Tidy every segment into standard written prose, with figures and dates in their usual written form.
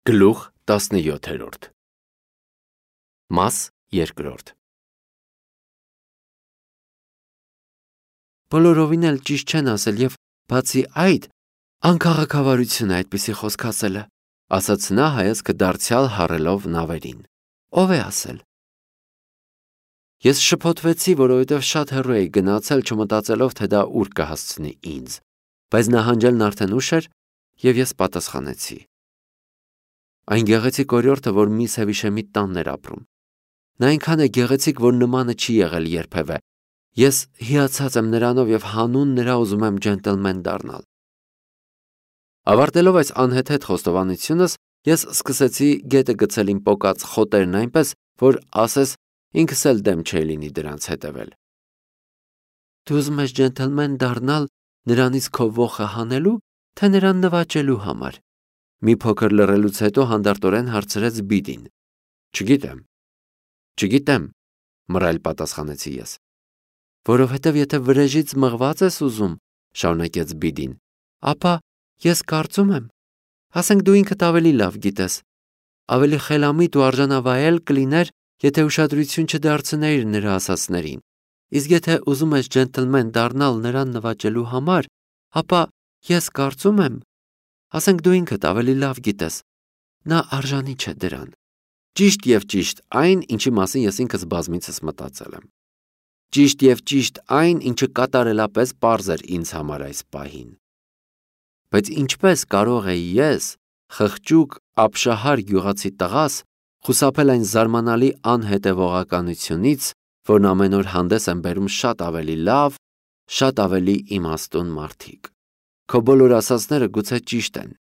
Գլուխ 17 Մաս 2 Բոլորովին էլ ճիշտ չեն ասել եւ բացի այդ անքաղաքավարություն է այդպիսի խոսք ասելը, ասաց նա հայացքը դարձյալ հառելով նավերին։ Ով է ասել։ Ես շփոթվեցի, որովհետև շատ հեռու էի գնացել, չմտածելով, թե դա ուր կհասցնի ինձ, բայց նահանջելն արդեն ուշ էր եւ ես պատասխանեցի։ Այն գեղեցիկ օրիորդը, որ մի Սևիշեմի տանն էր ապրում։ Նա այնքան է գեղեցիկ, որ նմանը չի եղել երբևէ։ Ես հիացած եմ նրանով եւ հանուն նրա ուզում եմ ջենտլմեն դառնալ։ Ավարտելով այս անհեթեթ խոստովանությունս, ես սկսեցի գետը գցել իմ պոկած խոտերն այնպես, որ ասես ինքս էլ դեմ չէի լինի դրանց հետևել։ Դու ուզում ես ջենտլմեն դառնալ նրանից քո ոխը հանելու, թե նրան նվաճելու համար։ Մի փոքր լռելուց հետո հանդարտորեն հարցրեց Բիդին։ Չգիտեմ, մռայլ պատասխանեցի ես։ Որովհետև եթե վրեժից մղված ես ուզում, շարունակեց Բիդին, ապա ես կարծում եմ, ասենք դու ինքդ ավելի լավ գիտես, ավելի խելամիտ ու արժանավայել կլիներ, եթե ուշադրություն չդարձնեիր նրա ասածներին, իսկ եթե ուզում ես ջենտլմեն դառնալ նրան նվաճելու համար, ապա ես կարծում եմ, ասենք դու ինքդ ավելի լավ գիտես, նա արժանի չէ դրան։ Ճիշտ եւ ճիշտ այն, ինչի մասին ես ինքս բազմիցս մտածել եմ։ Ճիշտ եւ ճիշտ այն, ինչը կատարելապես պարզ էր ինձ համար այս պահին։ Բայց ինչպես կարող էի ես, խղճուկ, ապշահար գյուղացի տղաս, խուսափել այն զարմանալի անհետևողականությունից, որն ամեն օր հանդես են բերում շատ ավելի լավ, շատ ավելի իմաստուն մարդիկ։ Քո բոլոր ասածները գուցե ճիշտ են,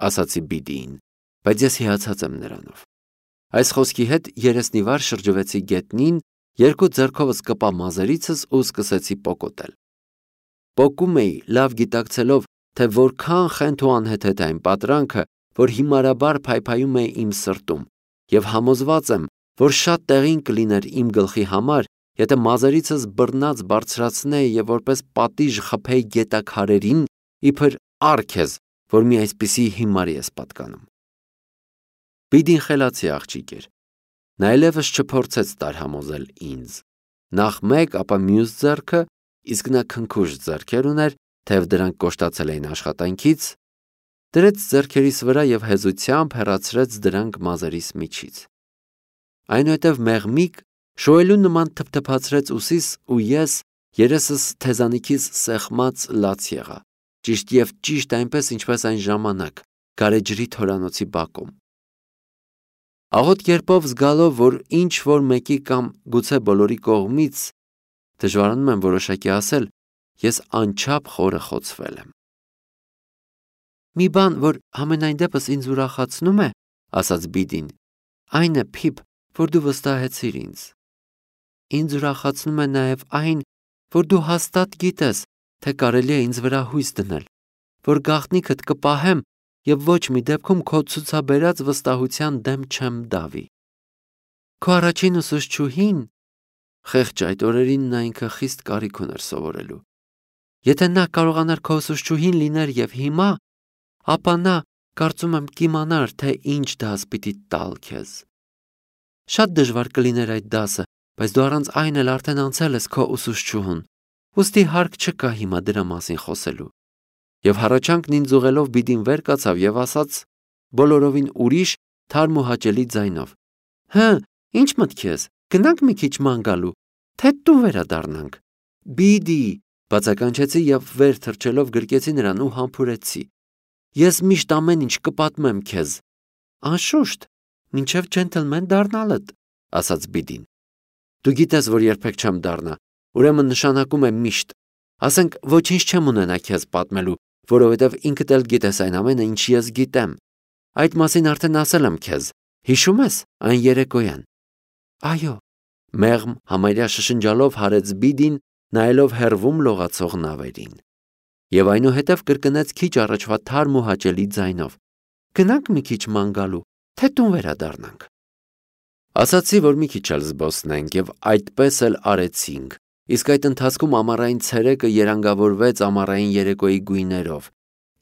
ասացի Բիդիին, բայց ես հիացած եմ նրանով։ Այս խոսքի հետ երեսնիվար շրջվեցի գետնին, երկու ձեռքովս կպա մազերիցս ու սկսեցի պոկոտել։ Պոկում էի, լավ գիտակցելով, թե որքան խենթ ու անհեթեթ է այն պատրանքը, որ հիմարաբար փայփայում է իմ սրտում, եւ համոզված եմ, որ շատ տեղին կլիներ իմ գլխի համար, եթե մազերիցս բռնած բարձրացնեի եւ որպես պատիժ խփեի գետաքարերին, իբր արքեզ, որ մի այսպիսի հիմարի ես պատկանում։ Բիդին խելացի աղջիկ էր։ Նա այլևս չփորձեց տարհամոզել ինձ։ Նախ մեկ, ապա մյուս ձեռքը, իսկ նա քնքուշ ձեռքեր ուներ, թեև դրանք կոշտացել էին աշխատանքից, դրեց ձեռքերիս վրա եւ հեզությամբ հեռացրեց դրանք մազերիս միջից։ Այնուհետև մեղմիկ շոյելու նման թփթփացրեց ուսիս ու ես երեսս թեզանիքիս սեղմած լաց եղա։ Ճիշտ եւ ճիշտ այնպես, ինչպես այն ժամանակ, գարեջրի թորանոցի բակում։ Աղոտ կերպով զգալով, որ ինչ որ մեկի կամ գուցե բոլորի կողմից, դժվարանում եմ որոշակի ասել, ես անչափ խորը խոցվել եմ։ Մի բան, որ համենայն դեպս ինձ ուրախացնում է, ասաց Բիդին, այն է, Փիփ, որ դու վստահեցիր ինձ։ Ինձ ուրախացնում է նաև այն, որ դու հաստատ գիտես, թե կարելի է ինձ վրա հույս դնել, որ գաղտնիքդ կպահեմ եւ ոչ մի դեպքում քո ցուցաբերած վստահության դեմ չեմ դավի։ Քո առաջին ուսուցչուհին, խեղճ այդ օրերին նա ինքը խիստ կարիք ուներ սովորելու։ Եթե նա կարողանար քո ուսուցչուհին լիներ եւ հիմա, ապա նա, կարծում եմ, կիմանար, թե ինչ դաս պիտի տալ քեզ։ Շատ դժվար կլիներ այդ դասը, բայց դու առանց այն էլ արդեն անցել ես քո ուսուցչուհուն։ Ոստի հարկ չկա հիմա դրա մասին խոսելու։ Եվ հառաչանքն ինձ ուղելով Բիդին վեր կացավ եւ ասաց բոլորովին ուրիշ, թարմ ու հաճելի ձայնով. Հը, ինչ մտք ես, գնանք մի քիչ ման գալու, թե դու վերադառնանք։ Բիդի, բացականչեցի եւ վեր թռչելով գրկեցի նրան ու համբուրեցի։ Ես միշտ ամեն ինչ կպատմեմ քեզ։ Անշուշտ, մինչև ջենտլմեն դառնալդ, ասաց Բիդին։ Դու գիտես, որ երբեք չեմ դառնա, ուրեմն նշանակում է միշտ։ Ասենք ոչինչ չեմ ունենա քեզ պատմելու, որովհետև ինքդ էլ գիտես այն ամենը, ինչ ես գիտեմ։ Այդ մասին արդեն ասել եմ քեզ։ Հիշում ես այն երեկոյան։ Այո, մեղմ համարյա շշնջալով հարեց Բիդին, նայելով հեռվում լողացող նավերին։ Եվ այնուհետև կրկնեց քիչ առաջվա թարմ ու հաճելի ձայնով. Գնանք մի քիչ ման գալու, թե տուն վերադառնանք։ Ասացի, որ մի քիչ էլ զբոսնենք եւ այդպես էլ արեցինք։ Իսկ այդ ընթացքում ամառային ցերեկը երանգավորվեց ամառային երեկոյի գույներով,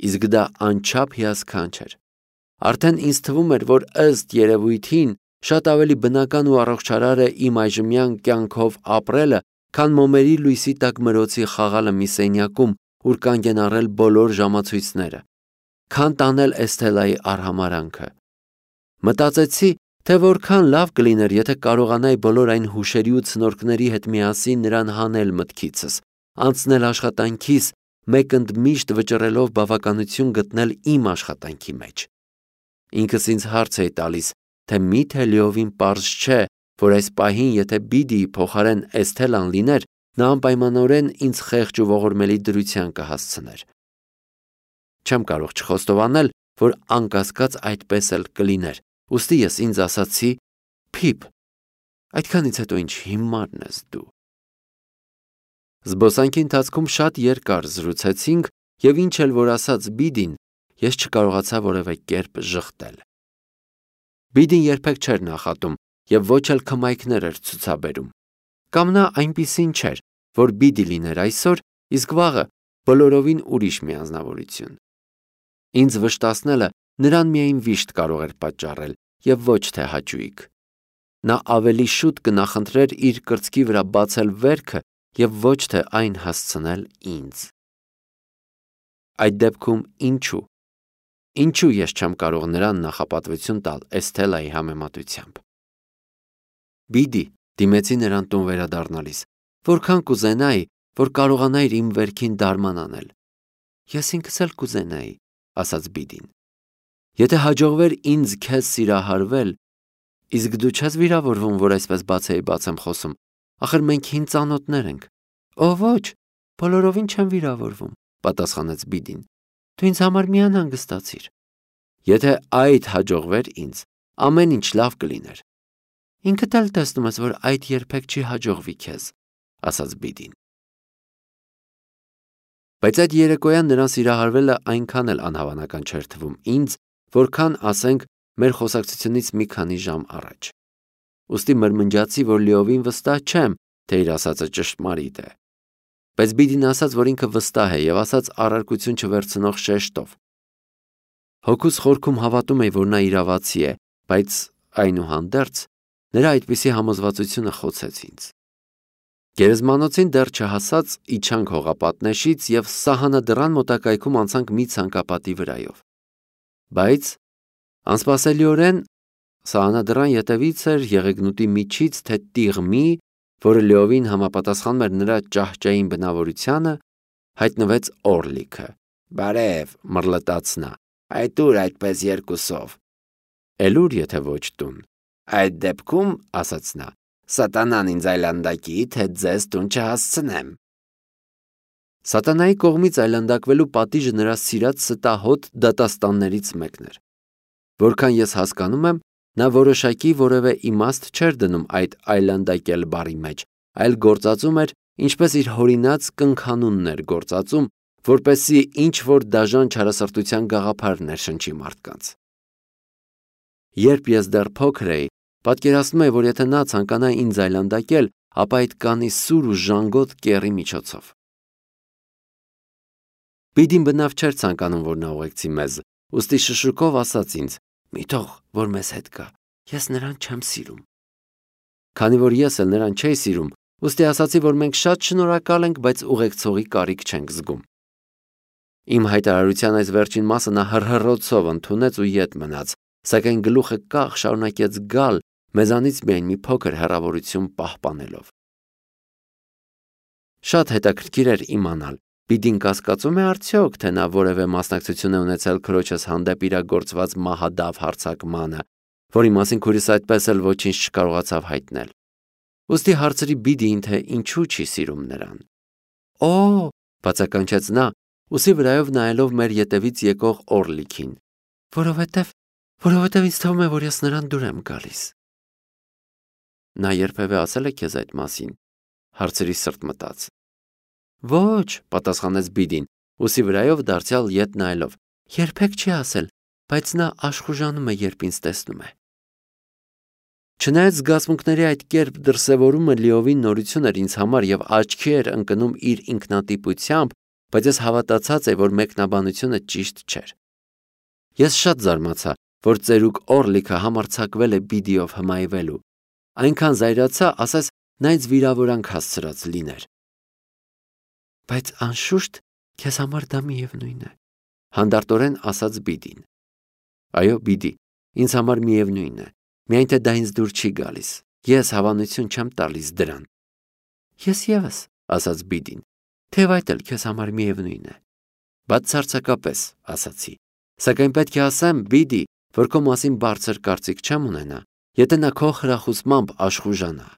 իսկ դա անչափ հիասքանչ էր։ Արդեն ինձ թվում էր, որ ըստ երևույթին շատ ավելի բնական ու առողջարար է իմ այժմյան կյանքով ապրելը, քան մոմերի լույսի տակ մրոցի խաղալը մի սենյակում, ուր կանգ են առել բոլոր ժամացույցները, քան տանել Էսթելայի արհամարանքը։ Մտածեցի, թե որքան լավ կլիներ, եթե կարողանայի բոլոր այն հուշերի ու ցնորքների հետ միասին նրան հանել մտքիցս, անցնել աշխատանքիս, մեկ ընդմիշտ վճռելով բավականություն գտնել իմ աշխատանքի մեջ։ Ինքս ինձ հարց էի տալիս, թե միթե լիովին պարզ չէ, որ այս պահին, եթե Բիդիի փոխարեն Էսթելան լիներ, նա անպայմանորեն ինձ խեղճ ու ողորմելի դրության կհասցներ։ Չեմ կարող չխոստովանել, որ անկասկած այդպես էլ կլիներ, ուստի ես ինձ ասացի. «Փիփ, այդքանից հետո ինչ հիմարն ես դու»։ Զբոսանքի ընթացքում շատ երկար զրուցեցինք և ինչ էլ որ ասաց Բիդին, ես չկարողացա որևէ կերպ ժխտել։ Բիդին երբեք չէր նախատում և ոչ էլ քմայքներ էր ցուցաբերում։ Կամ նա այնպիսին չէր, որ Բիդի լիներ այսօր, իսկ վաղը բոլորովին ուրիշ մի անձնավորություն։ Ինձ վշտացնելը նրան միայն վիշտ կարող էր պատճառել և ոչ թե հաճույք։ Նա ավելի շուտ կնախընտրեր իր կրծքի վրա բացել վերքը և ոչ թե այն հասցնել ինձ։ Այդ դեպքում ինչու ես չեմ կարող նրան նախապատվություն տալ Էսթելայի համեմատությամբ։ Բիդի, դիմեցի նրան տուն վերադառնալիս, որքան կուզենայի, որ կարողանայիր իմ վերքին դարման անել։ Ես ինքս էլ կուզենայի, ասաց Բիդին։ Եթե հաջողվեր ինձ քեզ սիրահարվել, իսկ դու չես վիրավորվում, որ այսպես բացեի-բաց եմ խոսում, ախր մենք հին ծանոթներ ենք։ Օ ոչ, բոլորովին չեմ վիրավորվում, պատասխանեց Բիդին։ Դու ինձ համար մի անհանգստացիր։ Եթե այդ հաջողվեր ինձ, ամեն ինչ լավ կլիներ։ Ինքդ էլ տեսնում ես, որ այդ երբեք չի հաջողվի քեզ, ասաց Բիդին։ Բայց այդ երեկոյան նրան սիրահարվելը այնքան էլ անհավանական չէր թվում ինձ, որքան, ասենք, մեր խոսակցությունից մի քանի ժամ առաջ։ Ուստի մրմնջացի, որ լիովին վստահ չեմ, թե իր ասածը ճշմարիտ է։ Բայց Բիդին ասաց, որ ինքը վստահ է և ասաց առարկություն չվերցնող շեշտով։ Հոգուս խորքում հավատում էի, որ նա իրավացի է, բայց այնուհանդերձ նրա այդպիսի համոզվածությունը խոցեց ինձ։ Գերեզմանոցին դեռ չհասած իջանք հողապատնեշից և սահանադրան մոտակայքում անցանք մի ցանկապատի վրայով։ Բայց անսպասելիորեն սահանադրան ետևից էր եղեգնուտի միջից թե տիղմի, որը լիովին համապատասխանում էր նրա ճահճային բնավորությանը, հայտնվեց Օրլիքը։ Բարև, մռլտաց նա, այդ ուր այդպես երկուսով։ Էլ ուր, եթե ոչ տուն։ Այդ դեպքում, ասաց նա, սատանան ինձ այլանդակի, թե ձեզ տուն չհասցնեմ։ Սատանայի կողմից այլանդակվելու պատիժը նրա սիրած ստահոդ դատաստաններից մեկն էր։ Որքան ես հասկանում եմ, նա որոշակի որևէ իմաստ չէր դնում այդ այլանդակել բառի մեջ, այլ գործածում էր, ինչպես իր հորինած կնքանունն էր գործածում, որպեսզի ինչ-որ դաժան չարասրտության գաղափար ներշնչի մարդկանց։ Երբ ես դեռ փոքր էի, պատկերացնում էի, որ եթե նա ցանկանա ինձ այլանդակել, ապա այդ կանի սուր ու ժանգոտ կեռի միջոցով։ Բիդին բնավ չէր ցանկանում, որ նա ուղեկցի մեզ, ուստի շշուկով ասաց ինձ. «Մի թող, որ մեզ հետ գա, ես նրան չեմ սիրում»։ Քանի որ ես էլ նրան չէի սիրում, ուստի ասացի, որ մենք շատ շնորհակալ ենք, բայց ուղեկցողի կարիք չենք զգում։ Իմ հայտարարության այս վերջին մասը նա հռհռոցով ընդունեց ու ետ մնաց, սակայն գլուխը կախ շարունակեց գալ, մեզանից միայն մի փոքր հեռավորություն պահպանելով։ Շատ հետաքրքիր էր իմանալ, Բիդին կասկածում է արդյոք, թե նա որևէ մասնակցություն է ունեցել քրոջս հանդեպ իրագործված մահադավ հարձակմանը, որի մասին քույրս այդպես էլ ոչինչ չկարողացավ հայտնել։ Ուստի հարցրի Բիդիին, թե ինչու չի սիրում նրան։ Օ, բացականչեց նա, ուսի վրայով նայելով մեր ետևից եկող Օրլիքին, որովհետև ինձ թվում է, որ ես նրան դուր եմ գալիս։ Նա երբևէ ասել է քեզ այդ մասին, հարցրի սրտմտած։ Ոչ, պատասխանեց Բիդին, ուսի վրայով դարձյալ ետ նայելով, երբեք չի ասել, բայց նա աշխուժանում է, երբ ինձ տեսնում է։ Չնայած զգացմունքների այդ կերպ դրսևորումը լիովին նորություն էր ինձ համար և աչքի էր ընկնում իր ինքնատիպությամբ, բայց ես հավատացած էի, որ մեկնաբանությունը ճիշտ չէր։ Ես շատ զարմացա, որ ծերուկ Օրլիքը համարձակվել է Բիդիով հմայվելու, այնքան զայրացա, ասես նա ինձ վիրավորանք հասցրած լիներ։ Բայց անշուշտ քեզ համար դա միևնույն է, հանդարտորեն ասաց Բիդին։ Այո, Բիդի, ինձ համար միևնույն է, միայն թե դա ինձ դուր չի գալիս, ես հավանություն չեմ տալիս դրան։ Ես ևս, ասաց Բիդին, թեև այդ էլ քեզ համար միևնույն է։ Բացարձակապես, ասացի, սակայն պետք է ասեմ, Բիդի, որ քո մասին բարձր կարծիք չեմ ունենա, եթե նա քո խրախուսմամբ աշխուժանա։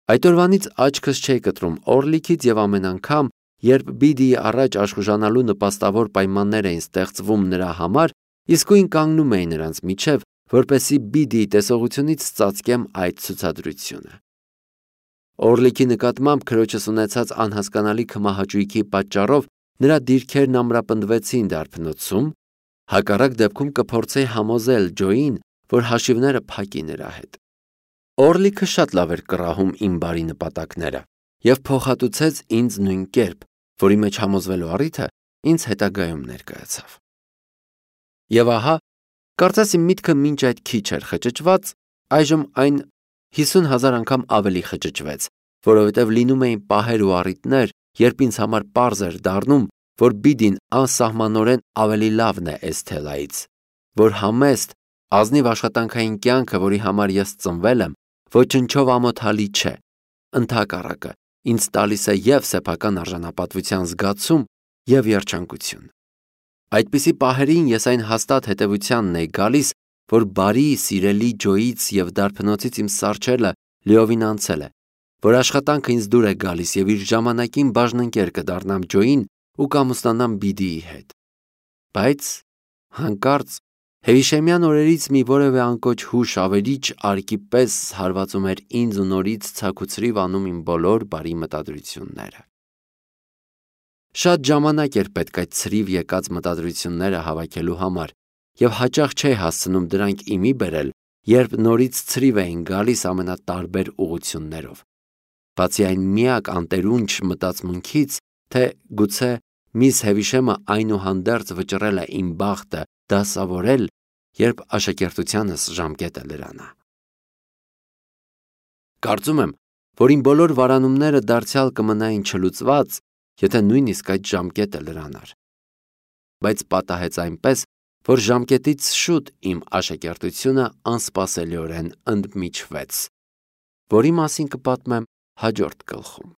Այդ օրվանից աչքս չէի կտրում Օրլիքից և ամեն անգամ, երբ Բիդիի առաջ աշխուժանալու նպաստավոր պայմաններ էին ստեղծվում նրա համար, իսկույն կանգնում էի նրանց միջև, որպեսզի Բիդիի տեսողությունից ծածկեմ այդ ցուցադրությունը։ Օրլիքի նկատմամբ քրոջս ունեցած անհասկանալի քմահաճույքի պատճառով նրա դիրքերն ամրապնդվեցին դարբնոցում, հակառակ դեպքում կփորձեի համոզել Ջոյին, որ հաշիվները փակի նրա հետ։ Օրլիքը շատ լավ էր կռահում իմ բարի նպատակները և փոխհատուցեց ինձ նույն կերպ, որի մեջ համոզվելու առիթը ինձ հետագայում ներկայացավ։ Եվ ահա, կարծես իմ միտքը մինչ այդ քիչ էր խճճված, այժմ այն 50,000 անգամ ավելի խճճվեց, որովհետև լինում էին պահեր ու առիթներ, երբ ինձ համար պարզ էր դառնում, որ Բիդին անսահմանորեն ավելի լավն է Էսթելայից, որ համեստ, ազնիվ աշխատանքային կյանքը, որի համար ես ծնվել եմ, ոչնչով ամոթալի չէ, ընդհակառակը, ինձ տալիս է և սեփական արժանապատվության զգացում, և երջանկություն։ Այդպիսի պահերին ես այն հաստատ հետևությանն էի գալիս, որ բարի, սիրելի Ջոյից և դարբնոցից իմ սառչելը լիովին անցել է, որ աշխատանքը ինձ դուր է գալիս և իր ժամանակին բաժնընկեր կդառնամ Ջոյին ու կամուսնանամ Բիդիի հետ։ Բայց հանկարծ Հեվիշեմյան օրերից մի որևէ անկոչ հուշ ավերիչ արկի պես հարվածում էր ինձ ու նորից ցաքուցրիվ անում իմ բոլոր բարի մտադրությունները։ Շատ ժամանակ էր պետք այդ ցրիվ եկած մտադրությունները հավաքելու համար, և հաճախ չէի հասցնում դրանք իմի բերել, երբ նորից ցրիվ էին գալիս ամենատարբեր ուղղություններով։ Բացի այն միակ անտերունջ մտածմունքից, թե գուցե միս Հեվիշեմը այնուհանդերձ վճռել է իմ բախտը դասավորել, երբ աշակերտությանս ժամկետը լրանա։ Կարծում եմ, որ իմ բոլոր վարանումները դարձյալ կմնային չլուծված, եթե նույնիսկ այդ ժամկետը լրանար։ Բայց պատահեց այնպես, որ ժամկետից շուտ իմ աշակերտությունը անսպասելիորեն ընդմիջվեց, որի մասին կպատմեմ հաջորդ գլխում։